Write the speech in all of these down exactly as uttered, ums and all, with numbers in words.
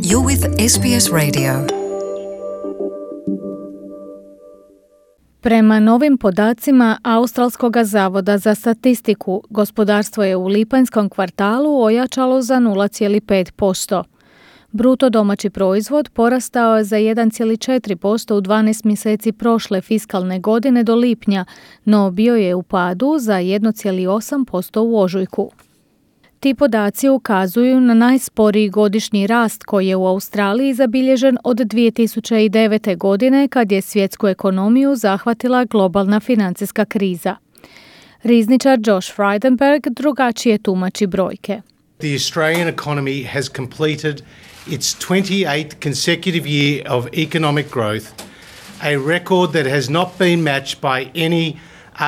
You're with S B S Radio. Prema novim podacima Australskog zavoda za statistiku, gospodarstvo je u lipanjskom kvartalu ojačalo za nula zarez pet posto. Bruto domaći proizvod porastao je za jedan zarez četiri posto u dvanaest mjeseci prošle fiskalne godine do lipnja, no bio je u padu za jedan zarez osam posto u ožujku. Ti podaci ukazuju na najsporiji godišnji rast koji je u Australiji zabilježen od dvije tisuće devete. godine kad je svjetsku ekonomiju zahvatila globalna financijska kriza. Rizničar Josh Frydenberg drugačije tumači brojke. The Australian economy has completed its twenty-eighth consecutive year of economic growth, a record that has not been matched by any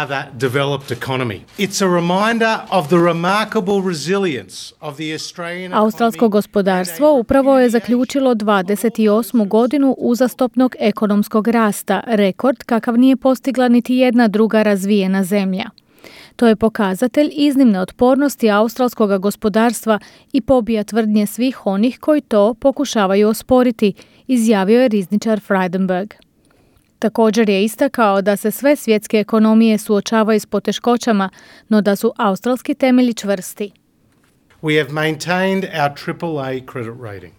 other developed economy. It's a reminder of the remarkable resilience of the Australian economy. Australsko gospodarstvo upravo je zaključilo dvadeset osmu godinu uzastopnog ekonomskog rasta, rekord kakav nije postigla niti jedna druga razvijena zemlja. To je pokazatelj iznimne otpornosti australskog gospodarstva i pobija tvrdnje svih onih koji to pokušavaju osporiti, izjavio je rizničar Frydenberg. Također je istakao da se sve svjetske ekonomije suočavaju s poteškoćama, no da su australski temelji čvrsti. We have maintained our triple A credit rating.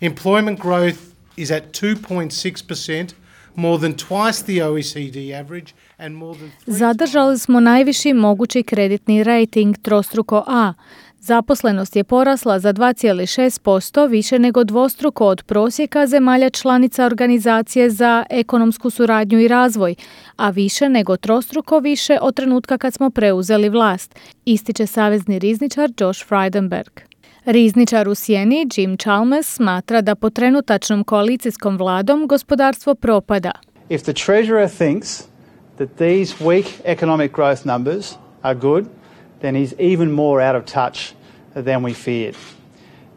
Employment growth is at two point six percent, more than twice the O E C D average and more than three Zadržali smo najviši mogući kreditni rating trostruko A. Zaposlenost je porasla za dva zarez šest posto, više nego dvostruko od prosjeka zemalja članica Organizacije za ekonomsku suradnju i razvoj, a više nego trostruko više od trenutka kad smo preuzeli vlast, ističe savezni rizničar Josh Frydenberg. Rizničar u sjeni Jim Chalmers smatra da pod trenutačnom koalicijskom vladom gospodarstvo propada. If the Treasurer thinks that these weak economic growth numbers are good, then he's even more out of touch than we feared.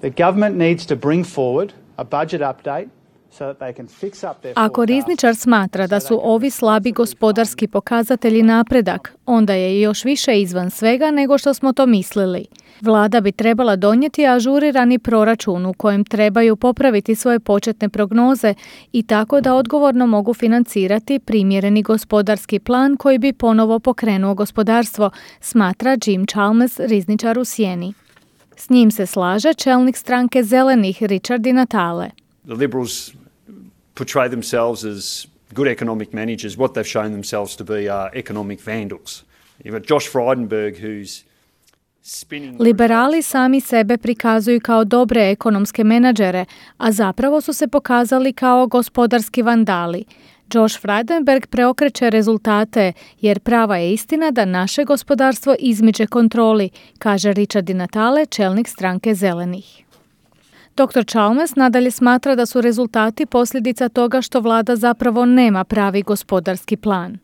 The government needs to bring forward a budget update so that they can fix up their Ako rizničar smatra da su ovi slabi gospodarski pokazatelji napredak, onda je još više izvan svega nego što smo to mislili. Vlada bi trebala donijeti ažurirani proračun u kojem trebaju popraviti svoje početne prognoze i tako da odgovorno mogu financirati primjereni gospodarski plan koji bi ponovo pokrenuo gospodarstvo, smatra Jim Chalmers, rizničar u sjeni. S njim se slaže čelnik stranke Zelenih Richard Di Natale. The Liberals portray themselves as good economic managers. What they've shown themselves to be are economic vandals. You've got Josh Frydenberg who's Liberali sami sebe prikazuju kao dobre ekonomske menadžere, a zapravo su se pokazali kao gospodarski vandali. Josh Frydenberg preokreće rezultate, jer prava je istina da naše gospodarstvo izmiče kontroli, kaže Richard Di Natale, čelnik stranke Zelenih. doktor Chalmers nadalje smatra da su rezultati posljedica toga što vlada zapravo nema pravi gospodarski plan.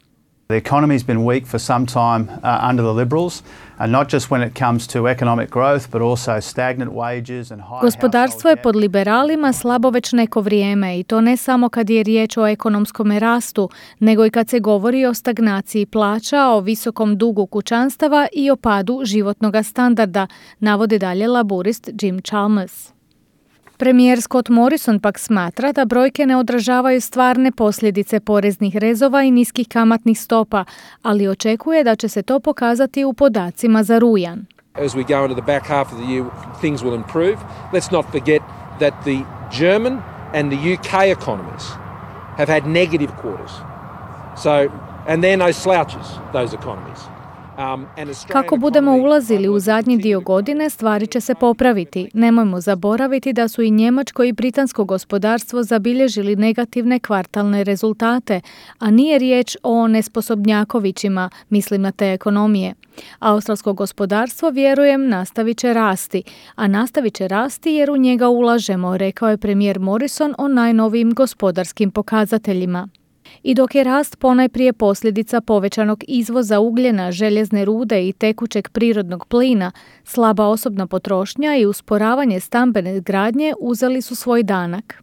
The economy's been weak for some time uh, under the Liberals, and not just when it comes to economic growth, but also stagnant wages and high Gospodarstvo je pod liberalima slabo već neko vrijeme i to ne samo kad je riječ o ekonomskom rastu, nego i kad se govori o stagnaciji plaća, o visokom dugu kućanstava i o padu životnog standarda, navodi dalje laburist Jim Chalmers. Premijer Scott Morrison pak smatra da brojke ne odražavaju stvarne posljedice poreznih rezova i niskih kamatnih stopa, ali očekuje da će se to pokazati u podacima za rujan. As we go into the back half of the year, things will improve. Let's not forget that the German and the U K economies have had negative quarters. So, and they're no slouches, those economies. Kako budemo ulazili u zadnji dio godine, stvari će se popraviti. Nemojmo zaboraviti da su i njemačko i britansko gospodarstvo zabilježili negativne kvartalne rezultate, a nije riječ o nesposobnjakovićima, mislim na te ekonomije. Australsko gospodarstvo, vjerujem, nastavit će rasti, a nastavit će rasti jer u njega ulažemo, rekao je premijer Morrison o najnovijim gospodarskim pokazateljima. I dok je rast ponajprije posljedica povećanog izvoza ugljena, željezne rude i tekućeg prirodnog plina, slaba osobna potrošnja i usporavanje stambene gradnje uzeli su svoj danak.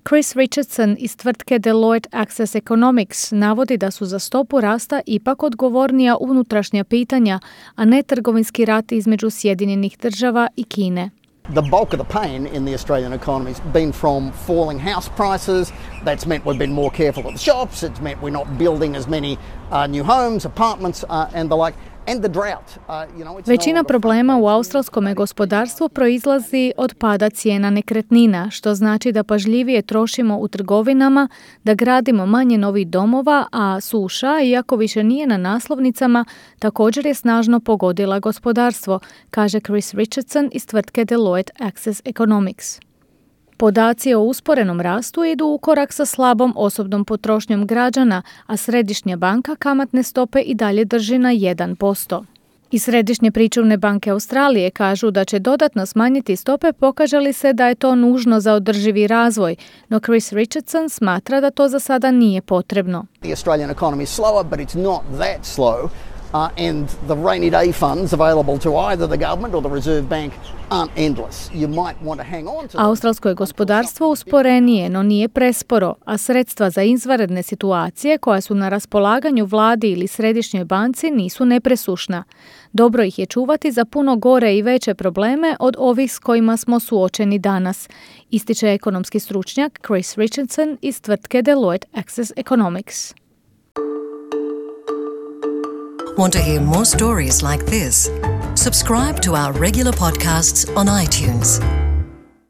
Chris Richardson iz tvrtke Deloitte Access Economics navodi da su za stopu rasta ipak odgovornija unutrašnja pitanja, a ne trgovinski rat između Sjedinjenih država i Kine. the bulk of the pain in the Australian economy has been from falling house prices. That's meant we've been more careful at the shops. It's meant we're not building as many uh, new homes, apartments uh, and the like. And the drought. Uh, you know, it's Većina no problema u australskom gospodarstvu proizlazi od pada cijena nekretnina, što znači da pažljivije trošimo u trgovinama, da gradimo manje novih domova, a suša, iako više nije na naslovnicama, također je snažno pogodila gospodarstvo, kaže Chris Richardson iz tvrtke Deloitte Access Economics. Podaci o usporenom rastu idu u korak sa slabom osobnom potrošnjom građana, a Središnja banka kamatne stope i dalje drži na jedan posto. I Središnje pričuvne banke Australije kažu da će dodatno smanjiti stope pokaže li se da je to nužno za održivi razvoj, no Chris Richardson smatra da to za sada nije potrebno. The Australian economy is slower, but it's not that slow. Uh, and the rainy day funds available to either the government or the Reserve Bank aren't endless. You might want to hang on to them. Australsko je gospodarstvo usporenije, no nije presporo, a sredstva za izvanredne situacije koja su na raspolaganju vladi ili središnjoj banci nisu nepresušna. Dobro ih je čuvati za puno gore i veće probleme od ovih s kojima smo suočeni danas, ističe ekonomski stručnjak Chris Richardson iz tvrtke Deloitte Access Economics. Want to hear more stories like this? Subscribe to our regular podcasts on iTunes.